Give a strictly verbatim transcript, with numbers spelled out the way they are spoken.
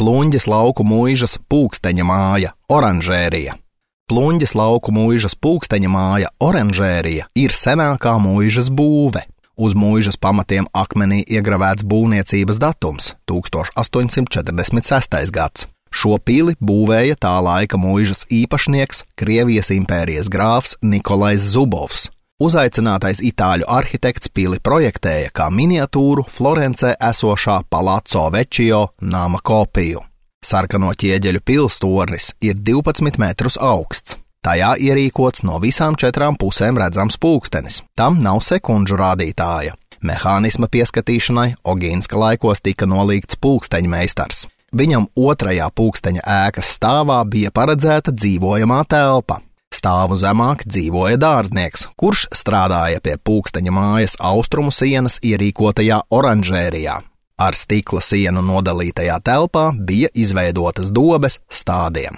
Pluņģes lauku muižas pulksteņa māja, oranžērija. Pluņģes lauku muižas pulksteņa māja, oranžērija ir senākā muižas būve. Uz muižas pamatiem akmenī iegravēts būvniecības datums – tūkstoš astoņsimt četrdesmit sestais gads. Šo pili būvēja tā laika muižas īpašnieks, Krievijas impērijas grāfs Nikolais Zubovs. Uzaicinātais itāļu arhitekts pili projektēja kā miniatūru Florencē esošā Palazzo Vecchio nama kopiju. Sarkano ķieģeļu pilstornis ir divpadsmit metrus augsts. Tajā ierīkots no visām četrām pusēm redzams pulkstenis. Tam nav sekundžu rādītāja. Mehānisma pieskatīšanai Ogīnska laikos tika nolīgts pulksteņmeistars. Viņam otrajā pulksteņa ēkas stāvā bija paredzēta dzīvojamā telpa. Stāvu zemāk dzīvoja dārznieks, kurš strādāja pie pulksteņa mājas austrumu sienas ierīkotajā oranžērijā. Ar stikla sienu nodalītajā telpā bija izveidotas dobes stādiem.